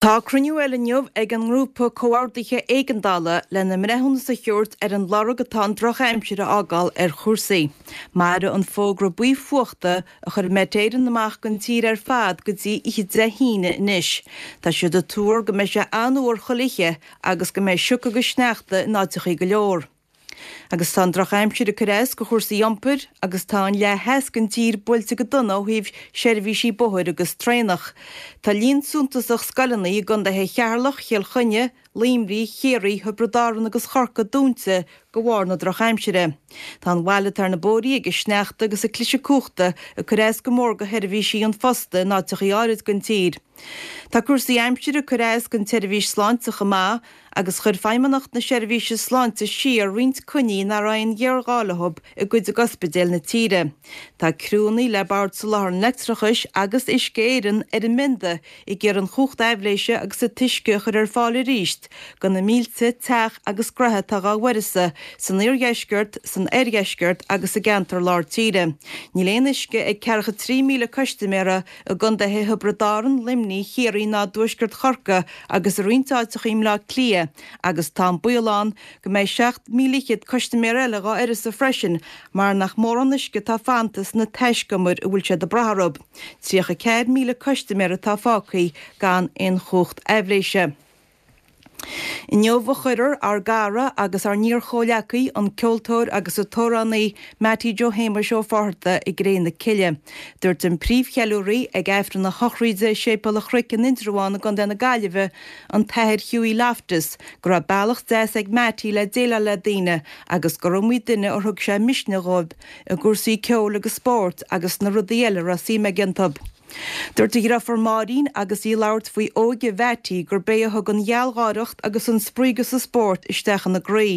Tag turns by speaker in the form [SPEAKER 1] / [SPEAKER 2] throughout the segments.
[SPEAKER 1] Tá cruinniú eile inniu ag an nGrúpa Comhordaithe Éigeandála lena mbreithiúnas a thabhairt ar an lorg atá an drochaimsir a fhágáil ar chúrsaí. Mairfidh an fógra buí fuachta a chuir Met Éireann amach don tír ar fad go dtí oíche Dé hAoine anois. Tá siad ag tuar go mbeidh sé an-fhuar chuile oíche agus go mbeidh sioc agus sneachta in áiteachaí go leor. Agus tá an drochaimsir ag cur as go chúrsaí iompair agus tá an leath theas den tír buailte go dona ó thaobh seirbhísí bóthair agus traenach. Tá líon suntasach scoileanna i gcontaetha Cheatharlach, Chill Chainnigh, Luimnigh, Chiarraí, Thiobraid Árann agus Chorcaí dúnta de bharr na drochaimsire. Tá an bhail atá ar na bóithrí ag an sneachta agus ag cliseadh cumhachta ag cur as go mór go sheirbhísí an phosta in áiteachaí áirid den tír. Tá cúrsaí aimsire ag cur as don tseirbhís sláinte chomh maith agus chuir Feidhmeannacht na Seirbhíse Sláinte siar roinnt coinní nach raibh aon ghéarghá leo i gcuid d'ospidéil na tíre. Tá criúnna le Bord Soláthair an Leictreachais agus Uisce Éireann ar an mbionda ag iarraidh an chumhacht aibhléise agus an t-uisce a chur ar fáil arís do na mílte teach agus gnoithe atá dhá bhfuireasa san iardheisceart, san oirdheisceart agus i gceantar lár tíre. Níl aon uisce ag ceathracha 3,000 custaiméara i gcontaetha Thiobraid Árann, Luimnigh, Chiarraí ná dtuaisceart Chorcaí agus i roinnt áiteacha i mBleá Cliath agus tá an baol ann go mbeidh 7,000 custaiméir eile dhá uireasa freisin mar nach mórán uisce atá fanta sna taiscumair a bhfuil siad ag brath orthu. 34,000 custaiméir atá fágtha gan aon chumhacht aibhléise. Inniu a chuirfear ár gcara agus ár n-iar-chomhleacaí, an ceoltóir agus an t-amhránaí Mattie Joe Shéamuis Ó Fátharta i gcré na cille. Dúirt an príomhcheiliúraí ag Aifreann a shochraide i Séipéal an Chnoic in Indreabhán i gContae na Gaillimhe, an tAthair Hughie Loftus, go raibh bealach deas ag Mattie le déileáil le daoine agus gur iomaí duine ar thug sé misneach dhóibh i gcúrsaí ceoil agus spóirt agus sna rudaí eile a raibh suim aige iontu. Dúirt a dhriofúr Máirín agus í ag labhairt faoi óige Mhattie gurb é a thug an ghealgháireacht agus an spraoi agus an spórt isteach ina gcroí.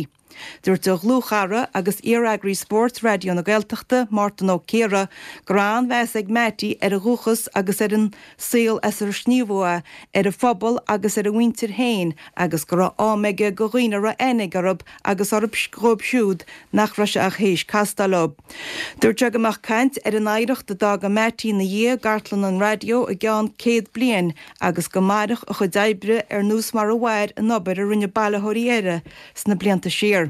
[SPEAKER 1] Dúirt a dhlúthchara agus iar-eagraí spóirt Raidió na Gaeltachta, Mártan Ó Ciardha, go raibh an-mheas ag Mattie ar a dhúchas agus ar an saol as ar sníomhadh é, ar a phobal agus ar a mhuintir féin agus go raibh am aige go dhaoine a raibh aithne aige orthu agus orthu dhóibh siúd nach raibh sé ach théis castáil leo. Dúirt sé go mbeadh caint ar an oidhreacht a d'fhága Mattie ina dhiaidh i gcartlann an raidió i gceann 100 bliain agus go mairfeadh a chuid oibre ar nós mar a mhair an obair a rinne bailitheoirí eile sna blianta siar.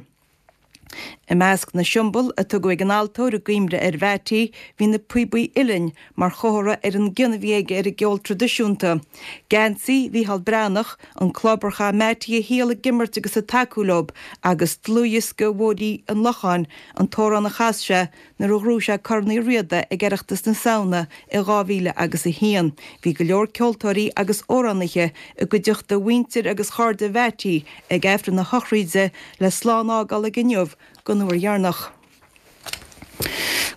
[SPEAKER 1] I measc na siombail a tugadh ag an altóir i gcuimhne ar Mhattie bhí na píobaí uilleann mar chomhartha ar an gcion a bhí aige ar an gceol traidisiúnta, geansaí Mhícheál Breathnach, an club ar chaith Mattie a shaol ag imirt agus ag tacú leo, agus dlúthdhiosca Bhóithrí an Locháin, an t-amhrán a chas sé nuair a ghnóthaigh sé Corn Uí Riada ag Oireachtas na Samhna i 2000 agus 1. Bhí go leor ceoltóirí agus amhránaithe i gcuideachta mhuintir agus chairde Mhattie ag Aifreann a shochraide le slán a fhágáil aige inniu don uair dheireanach.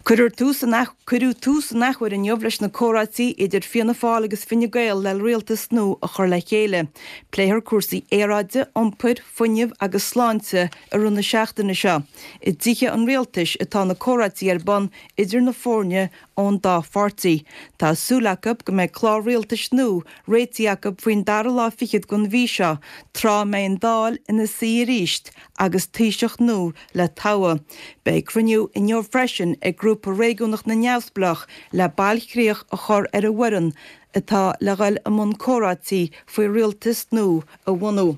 [SPEAKER 1] Cuirfear tús an Cuireadh tús an athuair inniu leis na comhráití idir Fianna Fáil agus Fine Gael le rialtas nua a chur le chéile. Pléifear cúrsaí aeráide, iompair, fuinnimh agus sláinte i rith na seachtaine seo. I dtithe an rialtais atá na comhráití ar bun idir na foirne ón dá pháirtí. Tá súil acu go mbeidh clár rialtais nua réitithe acu faoin dara lá fichead den mhí seo, tráth a mbeidh an Dáil ina suí arís agus Taoiseach nua le toghadh. Beidh cruinniú inniu freisin ag Grúpa Réigiúnach na Neamhspleách le bailchríoch a chur ar an bhfoireann atá le dhul i mbun comhráití faoi rialtas nua a bhunú.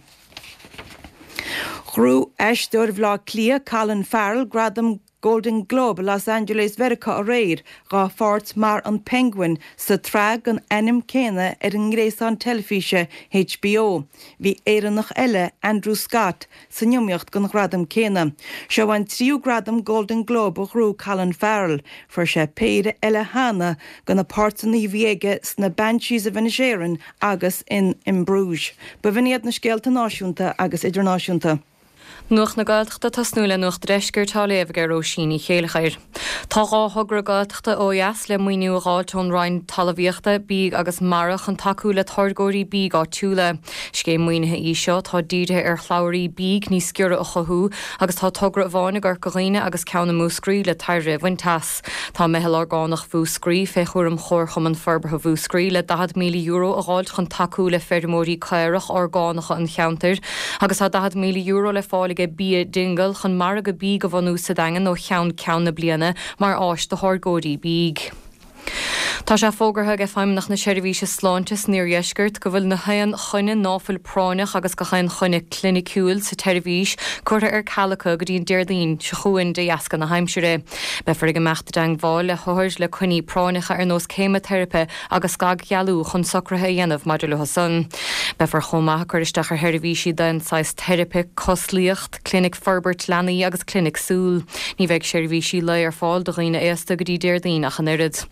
[SPEAKER 1] Ghnóthaigh aisteoir Bhaile Átha Cliath, Colin Farrell, gradam Golden Globe i Los Angeles Mheiriceá aréir dá pháirt mar an Penguin sa tsraith den ainm céanna ar an ngréasán teilifíse HBO. Bhí Éireannach eile, Andrew Scott, san iomaíocht don ghradam céanna. Seo an tríú gradam Golden Globe a ghnóthaigh Colin Farrell. Fuair sé péire eile cheana do na páirteanna a bhí aige sna Banshees of Inisherin agus in In Bruges. B'in iad na scéalta náisiúnta agus idirnáisiúnta.
[SPEAKER 2] Nuacht na Gaeltachta ag tosnú le Nuacht an Deiscirt á léamh ag Róisín Ní Chéilleachair. Tá 2 thogra Gaeltachta ó dheas le maoiniú a dh'fháilt ón Roinn Talmhaíochta, Bídh agus Mara chun tacú le táirgeoirí bídh áitiúla. Scéim maoinithe í seo atá dírithe ar shlabhraí bídh níos giorra a chothú agus tá togra amháin i gCorca Dhuibhne agus ceann i Múscraí le tairbhe a bhaint as. Tá Meitheal Orgánach Mhúscraí, fé chúram Chomharchumann Forbartha Mhúscraí, le €40,000 a dh'fháilt chun tacú le feirmeoirí caorach orgánacha an cheantair agus tá €40,000 le fáil aige Bia Dingle chun margadh bídh a bhunú sa Daingean ó cheann ceann na bliana mar áis do tháirgeoirí bídh. Tá sé fógartha ag Feidhmeannacht na Seirbhíse Sláinte san Iardheisceart go bhfuil na haon choinne ná fuil práinneach agus gach aon choinne cliniciúil sa tseirbhís curtha ar ceal acu go dtí an Déardaoin seo chugainn de dheasca na haimsire. Beifear ag imeacht i dteangmháil le hothair le coinní práinneacha ar nós céimeateiripe agus scagdhealú chun socruithe a dhéanamh maidir leo san. Beifear chomh maith ag cur isteach ar sheirbhísí d'aon saghas teiripe, cosliacht, Clinic Forbairt Leanaí agus Clinic Súl. Ní bheidh seirbhísí lae ar fáil do dhaoine aosta go dtí Déardaoin ach an oiread.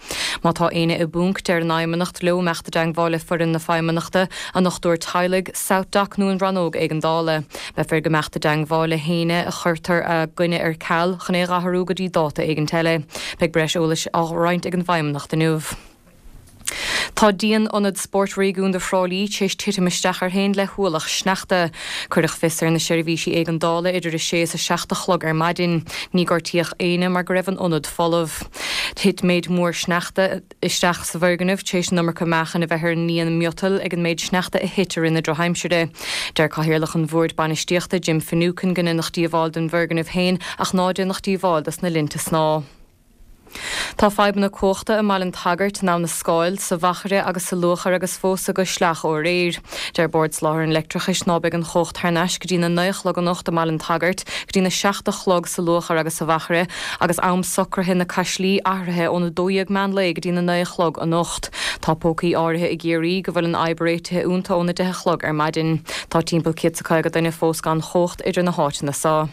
[SPEAKER 2] Má tá éinne i bponc, deir an Fheidhmeannacht leo imeacht i dteangmháil le foireann na Feidhmeannachta, a ndochtúir teaghlaigh, SouthDoc nó an rannóg éigeandála. Beifear ag imeacht i dteangmháil le héinne a chuirtear a gcoinne ar ceal chun é a dh'athrú go dtí dáta éigint eile. Beidh breis eolais á roinnt ag an bhFeidhmeannacht inniu. Tá díon Ionad Spóirt Réigiúnda Thrá Lí tar éis titim isteach air féin le hualach sneachta. Cuireadh fios ar na seirbhísí éigeandála idir a sé is a 7 a chlog ar maidin. Ní gortaíodh éinne mar go raibh an ionad folamh. Thit méid mór sneachta isteach sa bhfoirgneamh tar éis an iomarca meáchain a bheith ar an ndíon miotail ag an méid sneachta a thit i rith na drochaimsire. Deir Cathaoirleach an Bhoird Bainistíochta, Jim Finucane, go ndéanfadh díobháil don bhfoirgneamh féin ach ná déanfadh díobháil dos na linnte snámha. Tá fadhbanna cumhachta i mBaile an tSagairt, in Abha na Scáil, sa Mhachaire agus sa Luachair agus fós i gCois Sleach ó aréir. Deir Bord Soláthair an Leictreachais ná beidh an chumhacht thar n-ais go dtí na 9 a chlog anocht i mBaile an tSagairt, go dtí na 7 a chlog sa Luachair agus sa Mhachaire, agus am socraithe na Caislí athraithe óna 12 meán lae go dtí na 9 a chlog anocht. Tá pócaí áirithe i gCiarraí go bhfuil an fhadhb réitithe iontu óna 10 a chlog ar maidin. Tá timpeall 150 duine fós gan chumhacht idir na háiteanna so.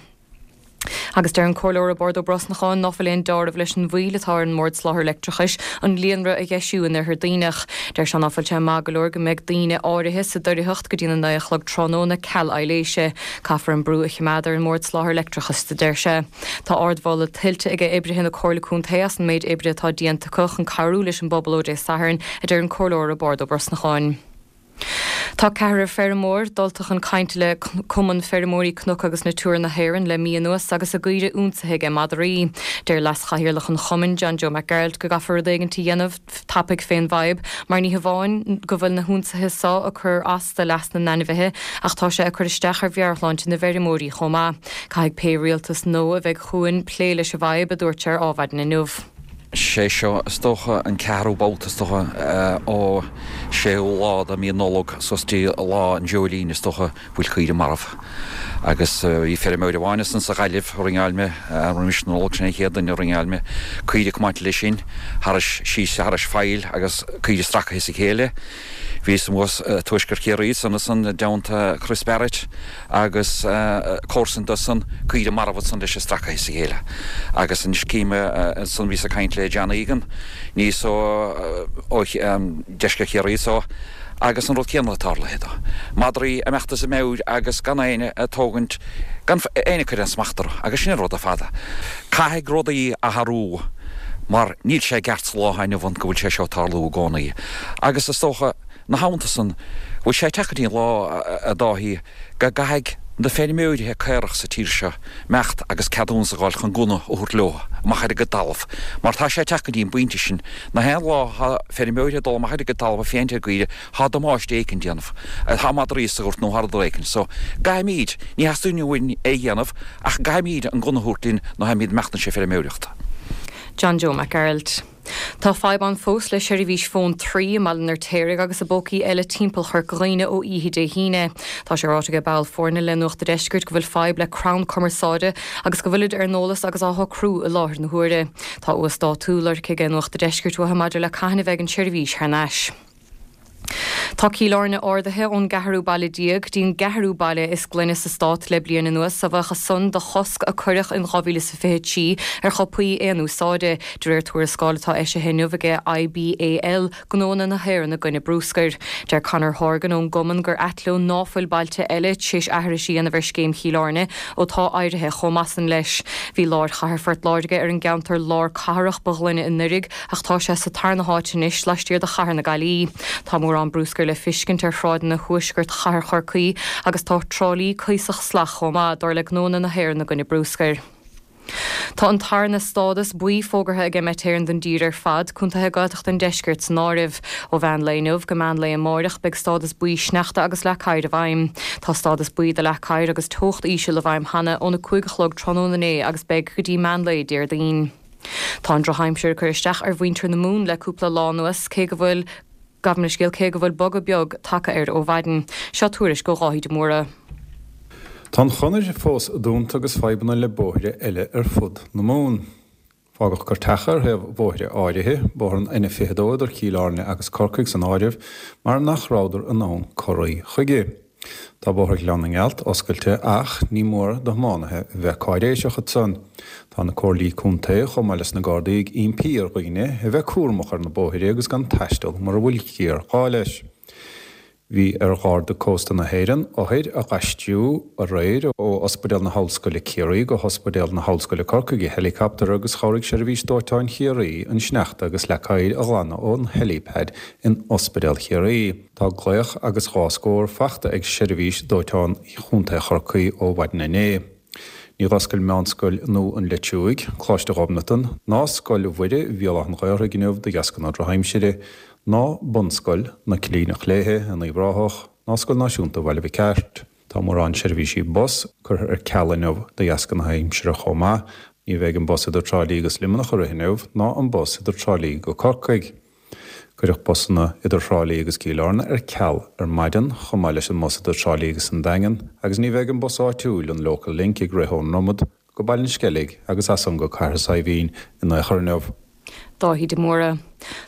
[SPEAKER 2] Agus deir an Comhairleoir Roibeárd Ó Brosnacháin ná fuil aon deáramh leis an mhoill atá ar an mBord Soláthair Leictreachais an líonra a dheisiú in Oirthear Duibhneach. Deir sé ná fuil sé maith go leor go mbeidh daoine áirithe sa doircheacht go dtí na 9 a chlog tráthnóna ceal aibhléise. Caithfear an brú a chimeád ar an mBord Soláthair Leictreachais a deir sé. Tá ardmholadh tuillte aige oibrithe na Comhairle Contae as an méid oibre atá déanta acu chun cabhrú leis an bpobal ó Dé Sathairn, a deir an Comhairleoir Roibeárd Ó Brosnacháin. Tá ceathrar feirmeoir dulta chun cainte le Cumann Feirmeoirí Cnoc agus Natura na hÉireann le mí anuas agus a gcaoire ionsaithe aige madraí. Deir leas-chathaoirleach an chumainn, John Joe Mac Gearailt, go gcaithfear rud éigint a dhéanamh tapaidh fén bhfadhb mar ní hamháin go bhfuil na hionsaithe so ag cur as do leas na n-ainmhithe ach tá sé ag cur isteach ar mheabhairshláinte na bhfeirmeoirí chomh maith. Caithfidh pé rialtas nua a bheidh chugainn plé leis an bhfadhb, a dúirt sé ar Ádhmhaidin inniu.
[SPEAKER 3] Sé seo, is dócha, an ceathrú babhta, is dócha, ó séú lá de mí Nollag suas dtí lá an Dreoilín, is dócha, bhfuil caoire marbh. Agus bhí feirmeoir amháin ansan sa Ghaillimh a ringeáil mé roimis na Nollag, sin é an chéad duine a ringeáil mé, caoire ag comáint leis sin, thairis, síos thairis faill agus caoire stracaithe as a chéile. Bhíos amuigh i Tuaisceart Chiarraí ansan ansan i dteannta Chris Barrett agus comharsan dó san, caoire marbh ansan leis stracaithe as a chéile. Agus anois cím ansan bhíos ag caint le John Egan níos ó ó deisceart Chiarraí so agus an rud céanna tarlaithe dó. Madraí ag imeacht as a meabhair agus gan éinne ag tógaint, gan éinne ag cur aon smacht orthu agus sin an rud ar fad. Caithfidh rudaí athrú mar níl sé i gceart sa lá atá inniu ann go bhfuil sé seo ag tarlú i gcónaí. Agus is dócha, 'na theannta san, bhfuil sé ag teacht go dtí an lá, a Dáithí, go gcaithfidh na feirmeoirithe caorach sa tír seo imeacht agus ceadúnas a dh'fháil chun gunna a thabhairt leo amach ar a gcuid talamh, mar tá sé ag teacht go dtí an bpointe sin, na haon lá thá feirmeoirithe ag dul amach ar a gcuid talamh ag féachaint ar gcaoire, thá damáiste éicint déanamh, thá madraí sa ghort nó thá rud éicint. So, gcaithfimíd, ní theastaíonn uainn é a dhéanamh, ach gcaithfimíd an gunna a thabhairt linn nuair tháimíd imeacht anois ag feirmeoireacht.
[SPEAKER 2] John Joe Mac Gearailt. Tá fadhb ann fós le seirbhís fóin Three i mBaile an Fheirtéaraigh agus i bpócaí eile timpeall Chorca Dhuibhne ó oíche Dé hAoine. Tá sé ráite ag ball foirne le Nuacht a' Deiscirt go bhfuil fadhb le crann cumarsáide agus go bhfuilid ar an eolas agus á shocrú i láthair na huaire. Tá uasdátú lorgtha ag Nuacht a' Deiscirt uathu maidir le cathain a bheidh an tseirbhís thar n-ais. Tá Cill Airne ardaithe ón gceathrú baile déag go dtí an gceathrú baile is glaine sa stát le bliain anuas, a bhuíochas san do chosc a cuireadh in 2023 ar chupaí aon úsáide, de réir tuarascáil atá eisithe inniu ag IBAL, Gnóanna na hÉireann i gcoinne Bruscair. Deir Conor Horgan ón gcumann gur ait leo ná fuil bailte eile tar éis aithris a dhéanamh ar scéim Chill Airne ó tá éirithe chomh maith san leis. Bhí lár chathair Phort Láirge ar an gceantar lár cathrach ba ghlaine anuraidh, Ach tá sé sa tarna háit anois, laistiar de chathair na Gaillimhe. Tá mórán bruscair le fiscint ar shráideanna thuaisceart chathair Chorcaí agus tá Trá Lí cuíosach salach chomh maith, dar le Gnóanna na hÉireann i gcoinne Bruscair. Tá an tarna stádas buí fógartha ag Met Éireann don dtír ar fad, contaetha Gaeltachta an deiscirt san áireamh. Ó mheán lae inniu go meán lae amáireach beidh stádas buí sneachta agus leac oighir i bhfeidhm. Tá stádas buí do leac oighir agus teocht íseal i bhfeidhm cheana óna 5 a chlog tráthnóna inné agus beidh go dtí meán lae Déardaoin. Tá an drochaimsir ag cur isteach ar mhuintir na Mumhan le cúpla lá anuas, cé go bhfuil, gabh mo leithscéal, cé go bhfuil bogadh beag tagtha air ó mhaidin. Seo tuairisc ó Dháithí de Mórdha.
[SPEAKER 4] Tá an chonair fós dúnta agus fadhbanna le bóithre eile ar fud na Mumhan. Fágadh cairteacha ar thaobh bhóithre áirithe, bóthar an N22 idir Cill Airne agus Corcaigh san áireamh, mar nach rabhadar in ann corraí chuige. Tá Bóthar Ghleann na nGealt oscailte ach ní mór do thiománaithe a bheith cáiréiseach ansan. Tá na Comhairlí Contae chomh maith leis na Gardaí ag impí ar dhaoine a bheith cúramach ar na bóithre agus gan taisteal mura bhfuil géarghá leis. Bhí ar Gharda Cósta na hÉireann othair a dh'aistriú aréir ó Ospidéal na hOllscoile Ciarraí go hOspidéal na hOllscoile Corcaigh i heileacaptar agus chabhraigh Seirbhís Dóiteáin Chiarraí an sneachta agus leac oighir a ghlanadh ón helipad in Ospidéal Chiarraí. Tá glaoch agus 2 scór fachta ag Seirbhís Dóiteáin Chontae Chorcaí ó mhaidin inné. Níor oscail Meánscoil Nua an Leitriúigh, Coláiste Ghobnatan, ná Scoil Mhuire Bhéal Átha an Ghaorthaidh inniu de dheasca na drochaimsire, ná Bunscoil na Coilíneach Léithe in Uíbh Ráthach, ná Scoil Náisiúnta Bhaile Mhic Airt. Tá mórán seirbhísí bus curtha ar ceal inniu de dheasca na haimsire chomh maith. Ní bheidh an bus idir Trá Lí agus Luimneach ag rith inniu, ná an bus idir Trá Lí go Corcaigh. Cuireadh busanna idir Thrá Lí agus Cill Airne ar ceal ar maidin, chomh maith leis an mbus idir Trá Lí agus an Daingean, agus ní bheidh an bus áitiúil, an Local Link, ag rith ón nDromad go Baile an Sceilg agus as san go Cathair Saidhbhín in aon chor inniu.
[SPEAKER 2] Dáithí de Mórdha.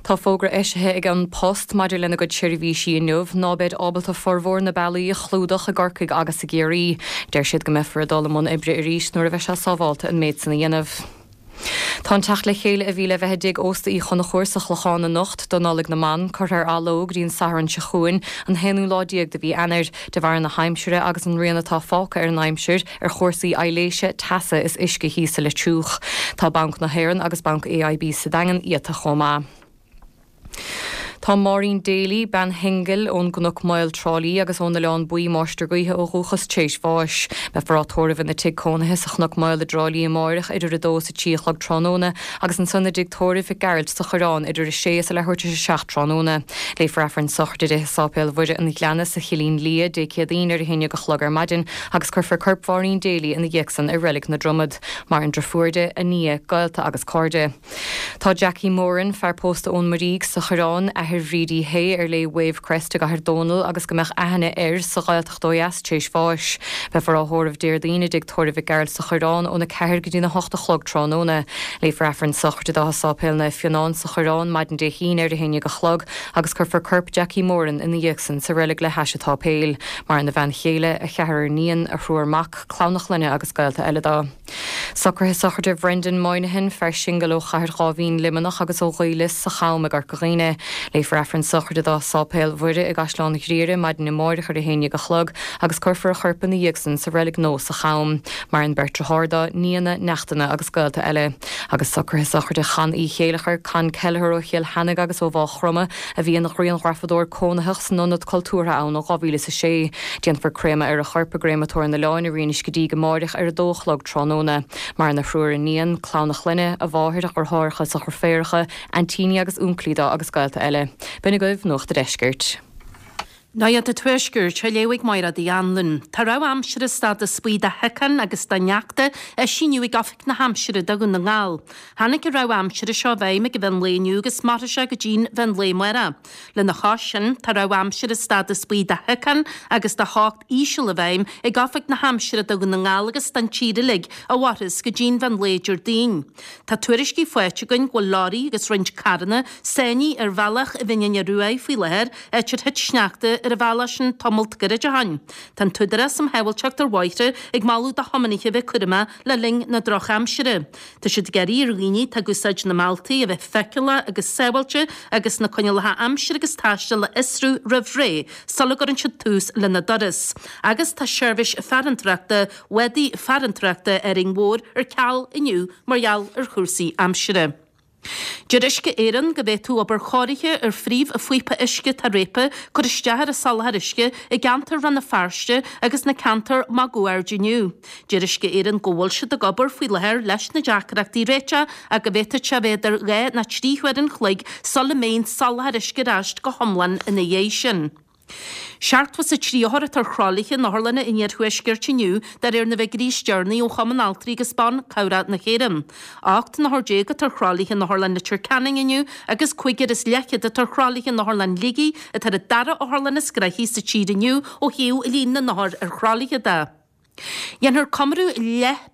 [SPEAKER 2] Tá fógra eisithe ag An Post maidir lena gcuid seirbhísí inniu ná beid ábalta formhór na bealaí a chlúdach i gCorcaigh agus i gCiarraí. Deir siad go mbeifear ag dul i mbun oibre arís nuair a bheidh sé sábhálta an méid san a dhéanamh. Tá an teacht le chéile a bhí le bheith i dTigh Ósta Uí Chonchúir sa Chlochán anocht do Nollaig na mBan curtha ar athló go dtí an Satharn seo chugainn, an t-aonú lá déag de mhí Eanáir, de bharr na haimsire agus an rian atá fágtha ar an aimsir ar chúrsaí aibhléise, teasa is uisce thíos sa Leitriúch. Tá Banc na hÉireann agus Banc AIB sa Daingean iata chomh maith. Tá Máirín Daly, bean shingil ón gCnoc Maol, Trá Lí agus ón Oileán Buí, Máistir Gaoithe ó dhúchas, tar éis bháis. Beifear á tórramh ina tigh cónaithe sa Chnoc Maol i dTrá Lí amáireach idir 2 is 3 a chlog tráthnóna agus ansan i dtigh tórraimh Mhic Gearailt sa Choireán idir 6 is a leathuair tar éis a 7 tráthnóna. Léifear Aifreann sochraide di i Sáipéal Mhuire an Ghleanna sa Chillín Liath, Dé Céadaoin ar a haon dhéag a chlog ar maidin agus cuirfear corp Mháirín Daly ina dhiaidh san i Reilig na Dromad. Maireann driofúr di, a nia, gaolta agus cairde. Tá Jackie Moran, fear pósta ón Muirígh sa Choireán, athair Bhrídie Hay ar léi Wavecrest i gCathair Dónall agus go mbeadh aithne air sa Ghaeltacht ó dheas tar éis bháis. Beifear á thórramh Déardaoin i dTigh Tórraimh Mhic Gearailt sa Choireán óna 4 go dtína 8 a chlog tráthnóna. Léifear Aifreann sochraide dó i Sáipéal Naomh Fionán sa Choireán maidin Dé hAoine ar a haon dhéag a chlog agus cuirfear corp Jackie Moran ina dhiaidh san sa reilig le hais an tsáipéil. Maireann a bhean chéile, a cheathrar iníon, a thriúr mac, clann a chlainne agus gaolta eile dó. Socruithe sochraide Bhrendan Moynihan, fear singil ó Chathair Dháibhín, Luimneach agus ó Ghaoth Lios sa Cham i gCorca Dhuibhne. Léifear Aifreann sochraide dó i Sáipéal Mhuire i gCaisleán Ghriaire maidin amáireach ar a haon dhéag a chlog agus cuirfear a chorp ina dhiaidh san sa reilig nua sa Cham. Maireann beirt deartháir dó, nianna, neachtanna agus gaolta eile. Agus socruithe sochraide Chan Uí Chéileachair, Con Kelleher ó Chill Sheanaigh agus ó Mhá Chromtha, a bhí ina ghrianghrafadóir cónaitheach san Ionad Cultúrtha ann ó 2006. Déanfar créamadh ar a chorp i gCréamatóir an Oileáin i Rinn Uisce Díg amáireach ar 2 a chlog tráthnóna. Maireann a thriúr iníon, clann a chlainne, a mháthair, a dheartháireacha is a dheirféaracha, aintíní agus únclaí dó agus gaolta eile. B'in agaibh Nuacht a' Deiscirt.
[SPEAKER 5] Nuacht an Tuaiscirt á léamh ag Máiréad Uí Anluain. Tá rabhadh aimsire stádas buí do shiocain agus do shneachta eisithe inniu ag Oifig na hAimsire do Dhún na nGall. Tháinig an rabhadh aimsire seo i bhfeidhm ag mheán lae inniu agus mairfidh sé go dtí'n mheán lae amárach. Lena chois sin, tá rabhadh aimsire stádas buí do shiocain agus do theocht íseal i bhfeidhm ag Oifig na hAimsire do Dhún na nGall agus don tír uilig a mhairfeas go dtí'n mheán lae Déardaoin. Tá tuairiscí faighte againn go bhfuil leoraí agus roinnt carranna sáinnithe ar bhealach Bhinn Fhine Ruaidh faoi láthair, áit ar thit sneachta ar an bhealach sin tamalt gairid ó shin. Tá an tÚdarás um Shábháilteacht ar Bhóithre ag moladh do thiománaithe a bheith cúramach le linn na drochaimsire. Tá siad ag iarraidh ar dhaoine atá ag úsáid na mbealtaí a bheith feiceálach agus sábháilte agus na coinníollacha aimsire agus taistil a fhiosrú roimh ré sula gcuireann siad tús lena dturas. Agus tá seirbhís farantóireachta bhádaí farantóireachta Árainn Mhór ar ceal inniu mar gheall ar chúrsaí aimsire. Deir Uisce Éireann go bhféadfadh obair chóirithe ar phríomh-phíopa uisce atá réabtha cur isteach ar an soláthar uisce i gceantar Rann na Feirste agus na ceantair máguaird inniu. Deir Uisce Éireann go bhfuil siad ag obair faoi láthair leis na deacrachtaí a réiteach ach go bhféadfadh sé a bheith idir 2 nó 3 huair an chloig sula mbeidh an soláthar uisce ar ais go hiomlán ina dhiaidh sin. 73 othar atá ar thralaithe in otharlanna an iarthuaiscirt inniu de réir na bhfigiúirí is deireanaí ó Chumann Altraí agus Ban Cabhrach na hÉireann. 18 n-othar atá ar thralaithe in Otharlann Leitir Ceanainn inniu agus cúigear is leathchéad atá ar thralaithe in Otharlann Shligigh atá ar an dara otharlann is gnoithí sa tír inniu ó thaobh líon na n-othar ar thralaithe de. Dhéanfar comóradh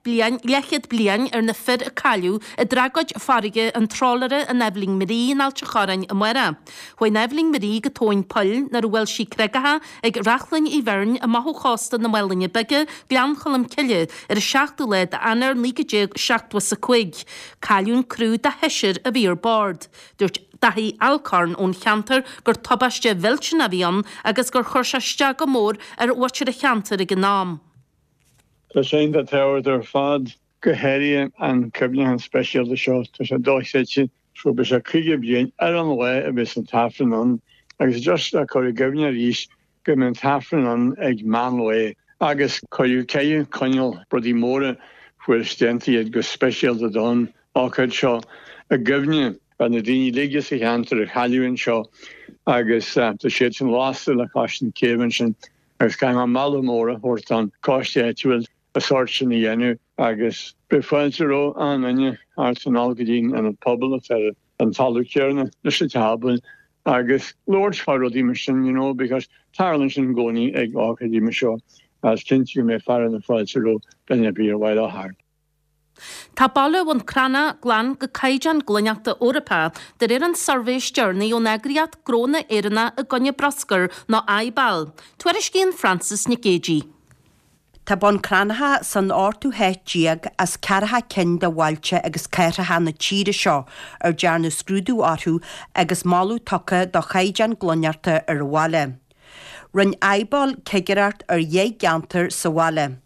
[SPEAKER 5] leathchéad bliain ar na fir a cailleadh i dtragóid farraige an trálaera an Eibhlín Marie in Ailt a' Chorráin amárach. Chuaigh an Eibhlín Marie go tóin poill nuair a bhuail sí creagacha ag Reachlainn Uí Bheirn amach ó chósta na Maolainne Bige, Gleann Cholm Cille, ar an seachtú lá d'Eanáir 1975. Cailleadh an criú de sheisear a bhí ar bord. Dúirt Daithí Alcorn ón cheantar gur tubaiste mhillteanach a bhí ann agus gur chuir sé isteach go mór ar mhuintir an cheantair ag an am.
[SPEAKER 6] Tá sé iontach tábhachtach ar fad, go háirithe an cuimhneachán speisialta seo. Tá sé dochreidte. So beidh sé 50 bliain ar an lá a bheas an t-aifreann ann agus just le cur i gcuimhne arís go mbeidh an t-aifreann ann ag meán lae agus cuireadh caitheamh coinneal rudaí móra fuaireas déanta iad go speisialta don ócáid seo i gcuimhne ar na daoine uilig sa cheantar a cailleadh anseo agus tá siad sin lasta le cois na céibhe ansin agus caithfidh mé moladh mór a thabhairt don choiste áitiúil an sórt sin a dhéanamh agus beidh fáilte roimh aon duine thart anall go dtí an ionad pobail atá ar an talamh céanna leis an teach agus labhairt fá rudaí mar sin you know because tarlaíonn sin i gcónaí ag ócáidí mar seo agus cinnte go mbeidh fearadh na fáilte roimh duine ar bith ar mhaith leo theacht.
[SPEAKER 5] Tá baile Bhun Cranncha glan go caighdeán glaineachta Eorpach de réir an suirbhé is deireanaí ón eagraíocht Gnónna Éireannacha i gcoinne Bruscair nó IBAL. Tuairiscíonn Frances Nic Géadaigh.
[SPEAKER 7] Tá Bun Cranncha san ochtú háit déag as ceathracha cinn de bhailte agus cathracha na tíre seo ar dearnadh scrúdú orthu agus moladh tugtha do chaighdeán glaineachta ar an bhaile. Rinne IBAL cigireacht ar dheich gceantar sa bhaile.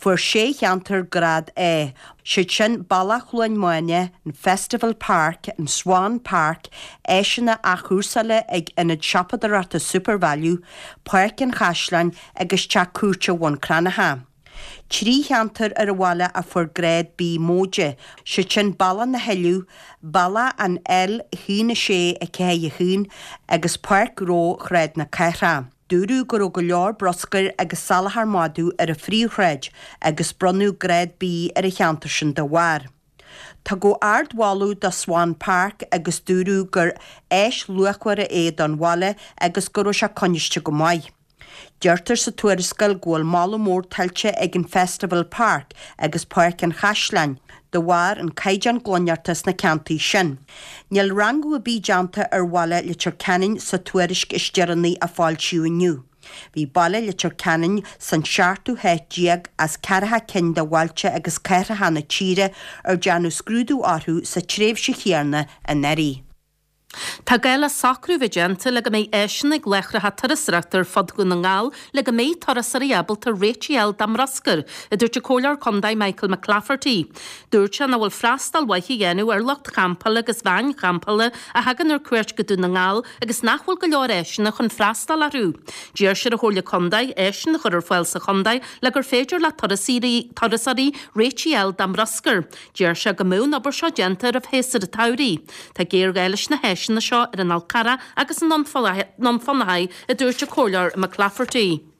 [SPEAKER 7] Fuair sé cheantar grád A, siad sin Bealach Chluain Mháine, an Festival Park, an Swan Park, áiseanna athchúrsála ag ionad siopadóireachta Supervalu, Páirc an Chaisleáin agus Teach Cúirte Bhun Cranncha. 3 cheantar ar an bhaile a fuair grád B móide, siad sin Bealach na hOileadh, Bealach an L1 6 4 1 agus Páirc Ghnó Shráid na Cathrach. Dúradh go raibh go leor bruscair agus salachar madaidh ar an phríomhshráid agus bronnadh grád B ar an cheantar sin dá bharr. Tugadh ardmholadh do Swan Park agus dúradh gur áis luachmhar é don bhaile agus go raibh sé coinniste go maith. Deirtear sa tuarascáil go bhfuil moladh mór tuillte ag an Festival Park agus Páirc an Chaisleáin de bharr an caighdeán glaineachta sna ceantair sin. Níl rangú ar bith déanta ar bhaile Leitir Ceanainn sa tuairisc is deireanaí a foilsíodh inniu. Bhí baile Leitir Ceanainn san seachtú háit déag as ceathracha cinn de bhailte agus cathracha na tíre ar dearnadh scrúdú orthu sa tréimhse chéanna anuraidh.
[SPEAKER 5] Tá gá le socrú a bheith déanta le go mbeidh áiseanna ag láithreacha turasóireachta ar fud Dhún na nGall le go mbeidh turasóirí ábalta réitigh a fháil dá mbruscar, a dúirt an Comhairleoir Contae Michael McClafferty. Dúirt sé nach bhfuil freastal mhaith á dhéanamh ar lucht champála agus veain champála a thagann ar cuairt go Dún na nGall agus nach bhfuil go leor áiseanna chun freastal orthu. D'iarr sé ar an Chomhairle Contae áiseanna a chur ar fáil sa chontae le gur féidir le turasóirí réitigh a fháil dá mbruscar. Deir sé go mbeadh an obair seo déanta roimh shéasúr an tsamhraidh. Tá géarghá leis na háiseanna seo ar an Fhál Carrach agus i nDún Fionnachaidh, a dúirt an Comhairleoir McClafferty.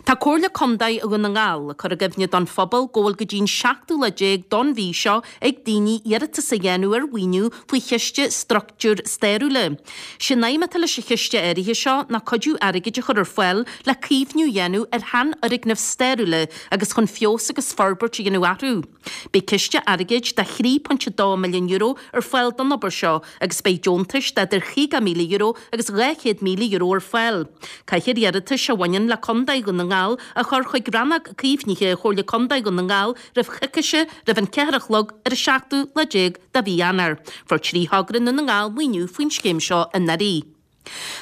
[SPEAKER 5] Tá Comhairle Contae Dhún na nGall ag cur i gcuimhne don phobal go bhfuil go dtí an seachtú lá déag don mhí seo ag daoine iarratas a dhéanamh ar mhaoiniú faoi Chiste Struchtúir Stairiúla. Sé an aidhm atá leis an chiste áirithe seo ná cuidiú airgid a chur ar fáil le caomhnú a dhéanamh ar sheanfhoirgnimh stairiúla agus chun feabhas agus forbairt a dhéanamh orthu. Beidh ciste airgid de €3.2 milliún ar fáil don obair seo agus beidh deontais d'idir €50,000 agus €200,000 ar fáil. Caithfear iarratais a bhaineann le Contae Dhún na nGall a chur chuig Rannóg Caomhnaithe Chomhairle Contae Dhún na nGall roimh choicíse roimh an 4 a chlog ar an seachtú lá déag de mhí Eanáir. Fuair 3 thogra i nDún na nGall maoiniú faoin scéim seo anuraidh.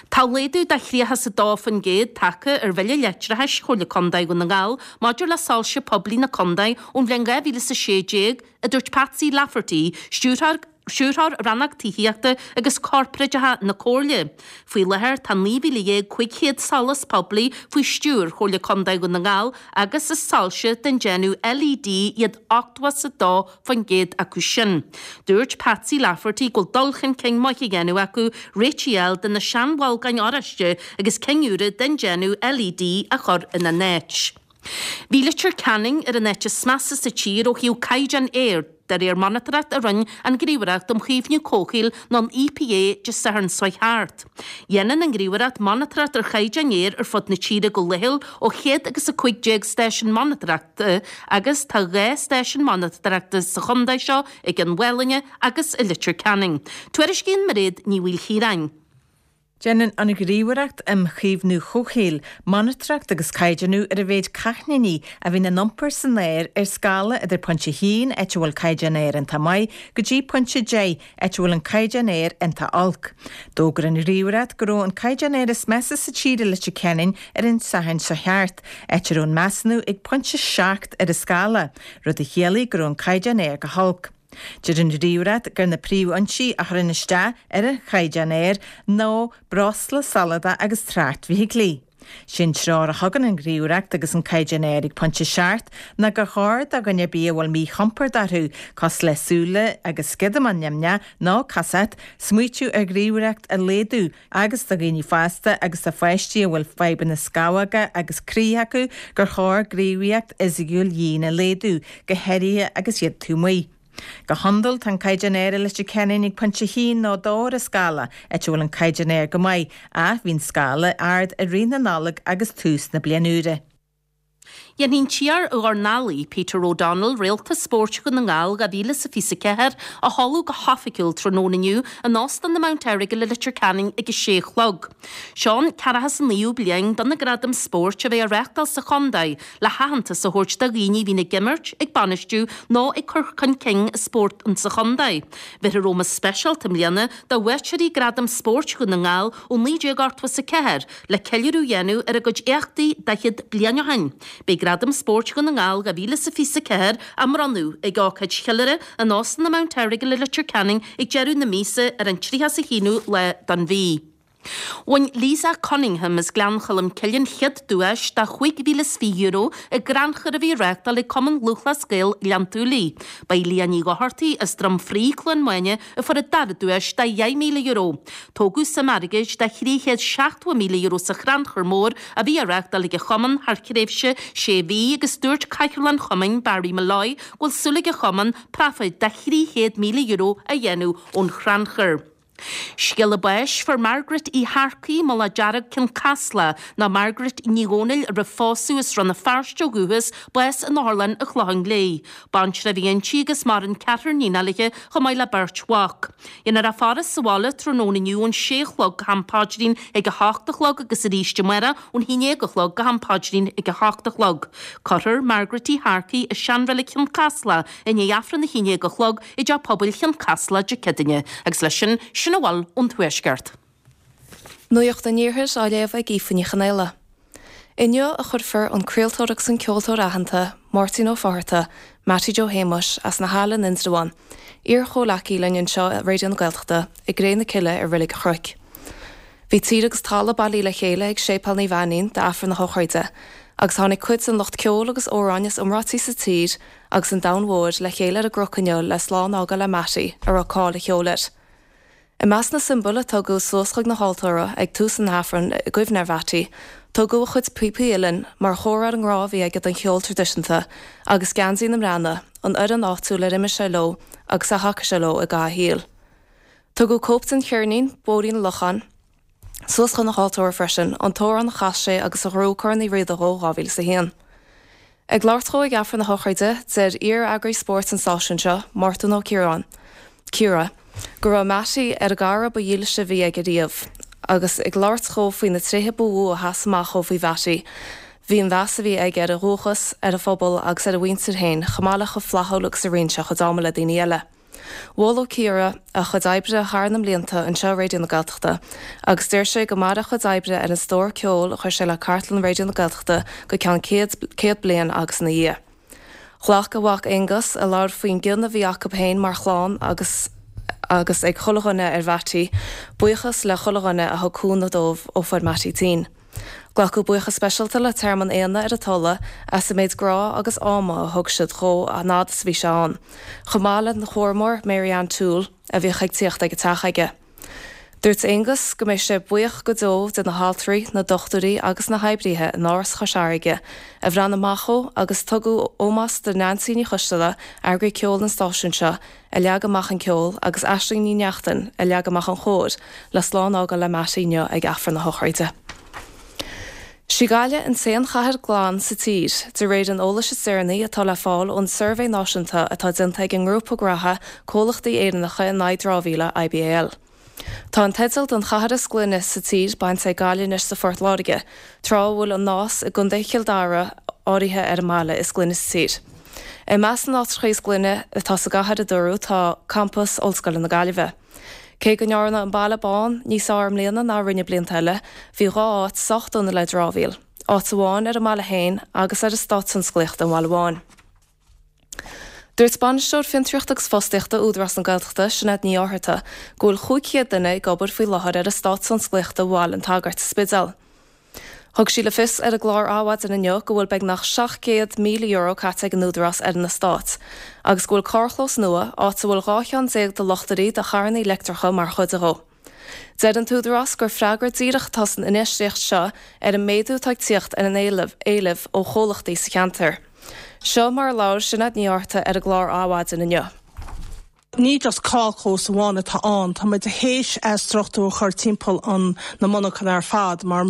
[SPEAKER 5] Tá laghdú de 32% tagtha ar bhille leictreachais Chomhairle Contae Dhún na nGall maidir le soilse poiblí na contae ón bhliain 2016, a dúirt Patsy Lafferty, Stiúrthóir. Stiúrthóir Rannóg Tithíochta agus Corparáideacha na Comhairle. Faoi láthair tá 19,500 solas poiblí faoi stiúir Chomhairle Contae Dhún na nGall agus is soilse den déanamh LED iad 82% acu sin. Dúirt Patsy Lafferty go bhfuil dul chun cinn maith á dhéanamh acu réitigh a fháil do na seanbholgáin oráiste agus cinn úra den déanamh LED a chur ina n-áit. Bhí Leitir Ceanainn ar an áit is measa sa tír ó thaobh caighdeán aeir, de réir monatóireacht a rinne an Ghníomhaireacht um Chaomhnú Comhshaoil nó an EPA Dé Sathairn seo thart. Dhéanann an Ghníomhaireacht monatóireacht ar chaighdeán aeir ar fud na tíre go laethúil ó chéad agus 15 stáisiún monatóireachta agus tá 2 stáisiún monatóireachta sa chontae seo i gCionn Mhálanna agus i Leitir Ceanainn. Tuairiscíonn Mairéad Ní Mhaoilchiaráin.
[SPEAKER 8] Déanann an Ghníomhaireacht um Chaomhnú Comhshaoil monatóireacht agus caighdeánú ar an mhéid cáithníní a bhíonn in iompar san aer ar scála idir pointe 1, áit a bhfuil caighdeán aeir iontach maith, go dtí pointe 10, áit a bhfuil an caighdeán aeir iontach olc. D'fhógair an Ghníomhaireacht go raibh an caighdeán aeir is measa sa tír i Leitir Ceanainn ar an Satharn seo thart, áit a raibh an measúnú ag pointe 7 ar an scála, rud a chiallaigh go raibh an caighdeán aeir go holc. Deir an Ghníomhaireacht gur na príomhfhoinsí a chuireann isteach ar an chaighdeán aeir ná breosla soladach agus trácht feithiclí. Sé an treoir a thugann an Ghníomhaireacht agus an caighdeán aeir ag pointe 7 ná gur chóir do dhuine ar bith a bhfuil míchompord orthu, cosúil le súile agus sciodamán nimhneach nó casacht, smaoitiú ar ghníomhaíocht a laghdú agus do dhaoine fásta agus do pháistí a bhfuil fadhbanna scamhóga agus croí acu gur chóir gníomhaíocht fhisiciúil dhian a laghdú, go háirithe agus iad taobh amuigh. Go hiondúil tá an caighdeán aeir i Leitir Ceanainn ag pointe 1 nó 2 ar an scála, áit a bhfuil an caighdeán aeir go maith, ach bhí an scála ard i rith na Nollag agus tús na bliana úire.
[SPEAKER 5] Dhéanfaidh an t-iar-dhornálaí, Peter O'Donnell, Réalta Spóirt Dhún na nGall 2024 a sheoladh go hoifigiúil tráthnóna inniu in Óstán na Mount Errigal i Leitir Ceanainn ag a sé a chlog. Seo an ceathracha is a naoú bliain do na Gradaim Spóirt a bheith á reáchtáil sa chontae le haitheantas a thabhairt do dhaoine a bhíonn ag imirt, ag bainistiú nó ag cur chun cinn spórt sa chontae. Bheirfear ómós speisialta i mbliana do bhuaiteoirí Gradam Spóirt Dhún na nGall ó 1984, Le ceiliúradh a dhéanamh ar a gcuid éachtaí 40 bliain ó shin, beidh Gradam Spóirt Dhún na nGall 2024 á mbronnadh ag ócáid cheiliúrtha in Óstán na Mount Errigal i Leitir Ceanainn ag deireadh na míosa ar an 31ú lá den mhí. Bhain Lisa Cunningham as Gleann Cholm Cille an chéad duais de €5,020 i gcrannchur a bhí á reáchtáil ag Cumann Lúthchleas Gael Ghleann tSúilí. Ba í Leah Ní Dhochartaigh as Droim Fraoigh, Cluain Maine, a fuair an dara duais de €10,000. Tógadh suim airgid de €370,000 sa chrannchur mór a bhí á reáchtáil ag an chumann thar thréimhse sé mhí agus dúirt Cathaoirleach an chumainn, Barry Molloy, go bhfuil súil ag an chumann praifid de €300,000 a dhéanamh ón chrannchur. Scéala báis, Fuair Margaret Uí Shearcaigh, Mullach Dearg, Cionn Caslach, nó Margaret Ní Dhomhnaill roimh phósadh as Rann na Feirste ó dhúchas, bás in Otharlann an Chlocháin Léith. Baintreach a bhí inti agus maireann ceathrar níonacha léi chomh maith le beirt mhac. Déanfar a faire sa bhaile tráthnóna inniu ón sé a chlog go ham paidrín ag a hocht a chlog agus arís amárach ón haon dhéag a chlog go ham paidrín ag a hocht a chlog. Cuirfear Margaret Uí Shearcaigh i Seanreilig Chionn Caslach i ndiaidh Aifreann a haon dhéag a chlog i dTeach Pobail Chionn Caslach Dé Céadaoine. Agus leis sin, sin a bhfuil ón Tuaisceart.
[SPEAKER 2] Nuacht an Iarthair á léamh ag Aoife Ní Chonaola. Inniu a chuirfear an craoltóir agus an ceoltóir aitheanta, Máirtín Ó Fátharta, Mattie Joe Shéamuis, as na hAille in Indreabhán, iar-chomhleacaí linn anseo i Raidió na Gaeltachta, i gcré na cille i Reilig an Chnoic. Bhí tír agus talamh bailithe le chéile ag Séipéal Naomh Ainnín d'Aifreann na hócáide, agus tháinig cuid den lucht ceoil agus amhráin is iomráití sa tír agus an domhain mhóir le chéile ar an gcnoc inniu le slán a fhágáil le Mattie, a raibh cáil a cheoil air. I measc na siombail a tugadh suas chuig na haltóra ag tús an Aifrinn i gcuimhne ar Mhattie, tugadh a chuid píopaí uilleann mar chomhartha ar an ngrá a bhí aige don cheol traidisiúnta agus Geansaí na mBreathnach, an fhoireann áitiúil ar imir sé leo agus ar thacaigh sé leo i gcaitheamh a shaoil. Tugadh cóip den cheirnín, Bóithrín an Locháin, suas chun an altóra freisin, an t-amhrán a chas sé agus a ghnóthaigh Corn Uí Riada dhó i 2001. Ag labhairt dhó ag Aifreann na hócáide, deir iar-eagraí spóirt an stáisiúin seo, Mártan Ó Ciaráin, Ciara, go raibh Mattie ar an gcara ba dhílse a bhí aige riamh. Agus ag labhairt dhó faoi na tréithe ba mhó a sheas amach dhó faoi Mhattie, bhí an mheas a bhí aige ar a dhúchas, ar a phobal agus ar a mhuintir féin, chomh maith le chomh flaithiúil agus a roinn sé a chuid ama le daoine eile. Mhol Ó Ciara a chuid oibre thar na mblianta anseo i Raidió na Gaeltachta agus deir sé go mairfidh a chuid oibre ar an stór ceoil a chuir sé le cartlann Raidió na Gaeltachta go ceann 100 bliain agus ina dhiaidh. Ghlac a mhac Aonghus, a labhair faoin gcion a bhí acu féin mar chlann agus. agus ag chuile dhuine ar Mhattie, buíochas le chuile dhuine a thug cúnamh dóibh ó fuair Mattie tinn. Glacadh buíochas speisialta le Tearmann Éanna ar an Tulaigh as an méid grá agus ama a thug siad dhó an fhad is a bhí sé ann, chomh maith lena chúramóir Mary Ann Toole a bhíodh ag tíocht ag an teach aige. Dúirt Aonghus go mbeidh sé buíoch go deo de na haltraí, na dochtúirí agus na hoibríthe in Áras Chois Fharraige a bhreathnaigh amach dhó agus tugadh ómós do Neansaí Ní Choisteala, eagraí ceoil an stáisiúin seo, a leag amach an ceol agus Aisling Ní Neachtain a leag amach an chór le slán a fhágáil le Mattie inniu ag Aifreann a shochraide. Sí Gaillimh an t-aon chathair glan sa tír, de réir an eolais is deireanaí atá le fáil ón suirbhé náisiúnta atá déanta ag an ngrúpa graithe Comhlachtaí Éireannacha in aghaidh Dramhaíola, IBAL. Tá an teideal don chathair is glaine sa tír bainte ag Gaillimh anois do Phort Láirge, tráth a bhfuil an Nás i gContae Chill Dara áirithe ar an mbaile is glaine sa tír. I measc na n-áitreacha is glaine atá sa gcathair, a dúradh, tá campas Ollscoile na Gaillimhe. Cé go ndearnadh an Baile Bán níos fearr i mbliana ná a rinneadh blianta eile, bhí 2 áit sách dona le dramhaíl, áit amháin ar an mbaile féin agus ar Eastát Tionsclaíochta an Bhaile Bháin. Dúirt Bainisteoir Fiontraíochta agus Fostaíochta Údarás na Gaeltachta, Sinéad Ní Fhátharta, go bhfuil 500 duine ag obair faoi láthair ar Eastát Tionsclaíochta Bhaile an tSagairt sa Spidéal. Thug sí le fios ar an gclár Adhmhaidin inniu go bhfuil beagnach €700,000 caite ag an Údarás ar an eastát agus go bhfuil carrchlós nua, áit a bhfuil 12 cheann de luchtairí do charranna leictreacha mar chuid dhó. Deir an tÚdarás gur freagra díreach atá san infheistíocht seo ar an méadú atá ag tíocht ar an éileamh ó chomhlachtaí sa cheantar. Seo mar a labhair Sinéad Ní Fhátharta ar an gclár Adhmhaidin inniu.
[SPEAKER 9] Ní just carrchlós amháin atá ann, tá muid théis struchtúr a chur timpeall an na monarchana ar fad mar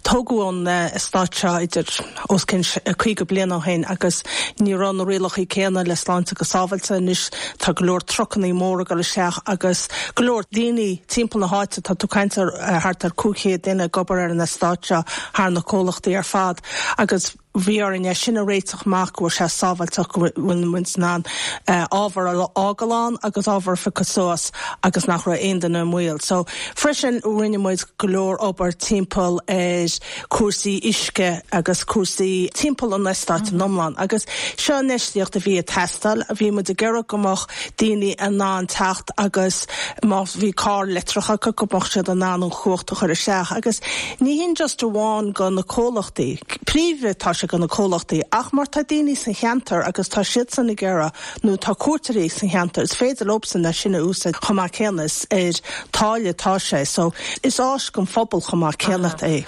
[SPEAKER 9] tógadh an eastát seo idir os cionn 50 bliain ó shin agus ní raibh na rialacha céanna le sláinte agus sábháilte. Anois tá go leor trucannaí móra ag dul isteach agus go leor daoine timpeall na háite, tá tú ag caint ar thart ar 500 duine ag obair ar an eastát seo thar na comhlachtaí ar fad agus Bhí orainn é sin a réiteach amach, go bhfuil sé sábháilteach, go bhfuil muid in ann ábhar a fhágáil ann agus ábhar a phiocadh suas agus nach raibh aon duine i mbaol. So, freisin, rinne muid go leor obair timpeall ar cúrsaí uisce agus cúrsaí timpeall an eastáit in iomlán agus seo infheistíocht a bhí ag teastáil. Bhí muid ag iarraidh go mbeadh daoine in ann teacht agus má bhí carr leictreach acu go mbeadh siad in ann an chumhacht a chur isteach agus ní hin just amháin go na comhlachtaí. Príomha tá sé go na comhlachtaí ach má tá daoine sa cheantar agus tá siadsan ag iarraidh nó tá cuairteoirí sa cheantar is féidir leobsan é sin a úsáid chomh maith céanna is ar táille atá sé so is áis don phobal chomh maith céanna é.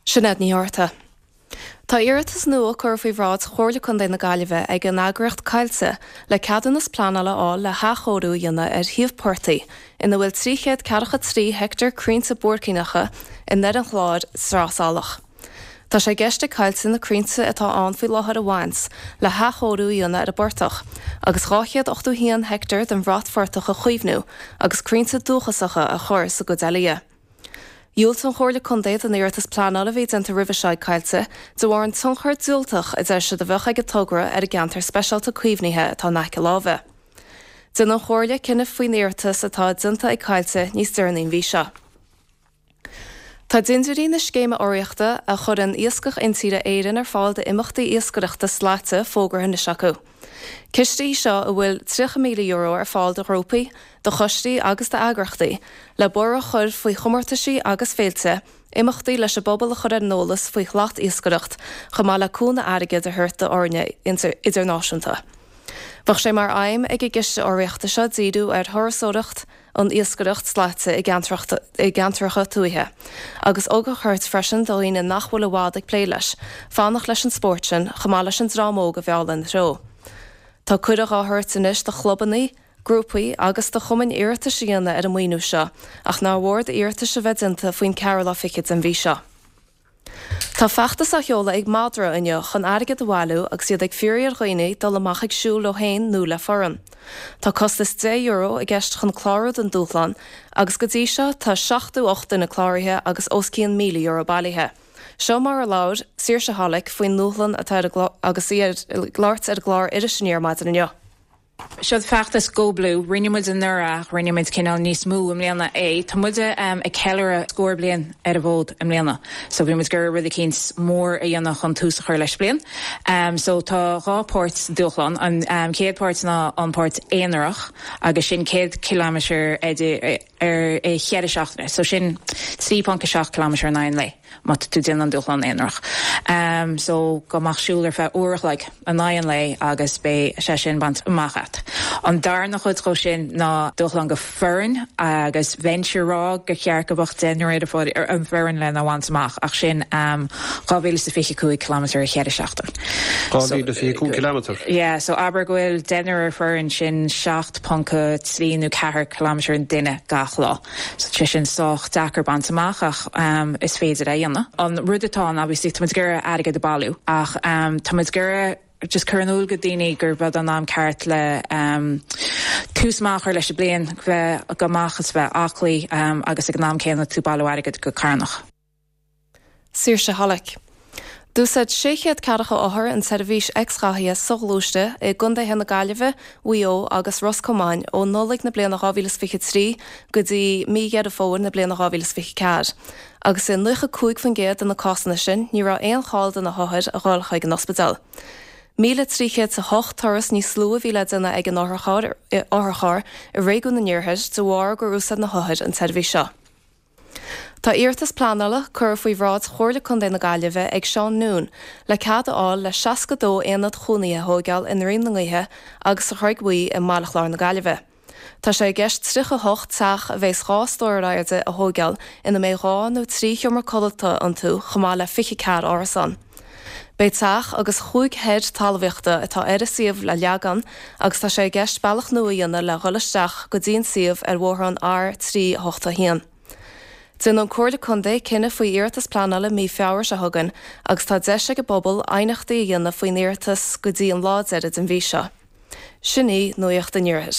[SPEAKER 2] Sinéad Ní Fhátharta. Tá iarratas nua curtha faoi bhráid Chomhairle Contae na Gaillimhe ag an eagraíocht Coillte le ceadúnas pleanála a fháil le hathchóiriú a dhéanamh ar shuíomh portaigh ina bhfuil 343 heicteár crainnte buaircíneacha i nDoire an Chláir, Sraith Salach. Tá sé i gceist ag Coillte na crainnte atá ann faoi láthair a bhaint le hathchóiriú a dhéanamh ar an bportach agus 281 heicteár den bhratphortach a chaomhnú agus crainnte dúchasacha a chur sa gcuid eile dhe. Dhiúltaigh an Chomhairle Contae don iarratas pleanála a bhí déanta roimhe seo ag Coillte de bharr an tionchar diúltach a deir siad a bheadh ag an togra ar an gceantar speisialta caomhnaithe atá in aice láimhe. Déanfaidh an Chomhairle cinneadh faoin iarratas atá déanta ag Coillte níos deireanaí an mhí seo. Tá dintiúirí na scéime urraíochta a chuireann Iascach Intíre Éireann ar fáil d'imeachtaí iascaireachta slaite fógartha anois acu. Ciste í seo a bhfuil €30,000 ar fáil do ghrúpaí, do choistí agus d'eagrachtaí le borradh a chur faoi chomórtaisí agus féilte, imeachtaí leis an bpobal a chur ar an eolas faoi shlat-iascaireacht, chomh maith le cúnamh airgid a thabhairt d'fhoirne idirnáisiúnta. Bheadh sé mar aidhm ag an gciste urraíochta seo díriú ar thurasóireacht, an iascaireacht slaite i gceantracha tuaithe, agus ugach a thabhairt freisin do dhaoine nach bhfuil i bhfad ag plé leis, fanacht leis an spórt sin, chomh maith leis an dream óg a mhealladh ina threo. Tá cuireadh á thabhairt anois do chlubanna, grúpaí agus do chumainn iarratais a dhéanamh ar an maoiniú seo ach nár mhór d'iarratais a bheith déanta faoin ceathrú lá fichead den mhí seo. Tá feachtas á sheoladh ag Madra inniu chun airgead a bhailiú agus iad ag fiafraí ar dhaoine dul amach ag siúl leo féin nó le foireann. Tá costas €10 i gceist chun clárú don dúshlán agus go dtí seo tá 78 duine cláraithe agus os cionn €1,000 bailithe. Seo mar a labhair Saoirse Hollick faoin ndúshlán atá ar agus í ag labhairt ar an gclár Iris Aniar maidin inniu.
[SPEAKER 10] Seo feachtas Go Blue. Rinne muid anuraidh ach rinne muid cineál níos mó i mbliana é. Tá muid ag ceiliúradh scór bliain ar an bhfód i mbliana so bhí muid ag iarraidh rud eicínt mór a dhéanamh chun tús a chur leis an bliain. So tá 2 páirt sa dúshlán. An chéad páirt ná an páirt aonarach agus sin 100 kilometre ar i cheithre seachtaine so sin 3.7 kilometre in aghaidh an lae. Má tá tú ag déanamh an dúshlán aonarach. So go mbeadh siúl ar feadh uair a chloig in aghaidh an lae agus beidh sé sin bainte amach agat. An darna chuid dhó sin ná dúshlán go foireann agus bheinnse ag rá gur cheart go mbeadh deichniúr ar an bhfoireann lena bhaint amach ach sin 2025 kilometre i cheithre seachtain.
[SPEAKER 11] 2025 kilometre?
[SPEAKER 10] Yeah, so abair go bhfuil deichniúr ar foireann sin 7.3 nó 4 kilometre an duine gach lá. So tá sé sin sách deacair baint amach ach is féidir é a dhéanamh. An rud atá ann obviously tá muid ag iarraidh airgead a bailiú ach tá muid ag iarraidh just cur in iúl go daoine gurb é an am ceart le tús maith a chur leis an bliain, bheith go maith agus bheith aclaí agus ag an am céanna tú bailiú airgead go carthanach.
[SPEAKER 12] Saoirse Hollick. D'úsáid 640 othar an tseirbhís x-ghathaithe soghluaiste i gcontaetha na Gaillimhe, Mhaigh Eo agus Ros Comáin ó Nollaig na bliana 2023 go dtí mí Dheireadh Fómhair na bliana 2024, agus i 95% de na cásanna sin ní raibh aon chall do na hothair a dhul chuig an ospidéal. 1,308 turas níos lú a bhí le déanamh ag an otharcharr i réigiún an Iarthair de bharr gur úsáid na hothair an tseirbhís seo. Tá iarratas pleanála curtha faoi bhráid Chomhairle Contae na Gaillimhe ag Seán Noone le cead a fháil le 62 aonad chónaithe a thóigeáil i nDroim na nGaoithe agus sa Chreig Bhuí i mBaile Chláir na Gaillimhe. Tá sé i gceist 38 teach a bheas 2 stór ar airde a thóigeáil ina mbeidh 2 nó 3 sheomra codlata iontu chomh maith le 24 árasán. Beidh teach agus chúig sheid talmhaíochta atá ar an suíomh le leagan agus tá sé i gceist bealach nua a dhéanamh le dhul isteach go dtí an suíomh ar bhóthar an R381. Déanfaidh an Comhairle Contae cinneadh faoi iarratas pleanála mí Feabhra seo chugainn agus tá deis ag an bpobal aighneachtaí a dhéanamh faoin iarratas go dtí an lá deiridh den mhí seo. Sin í Nuacht an Iarthair.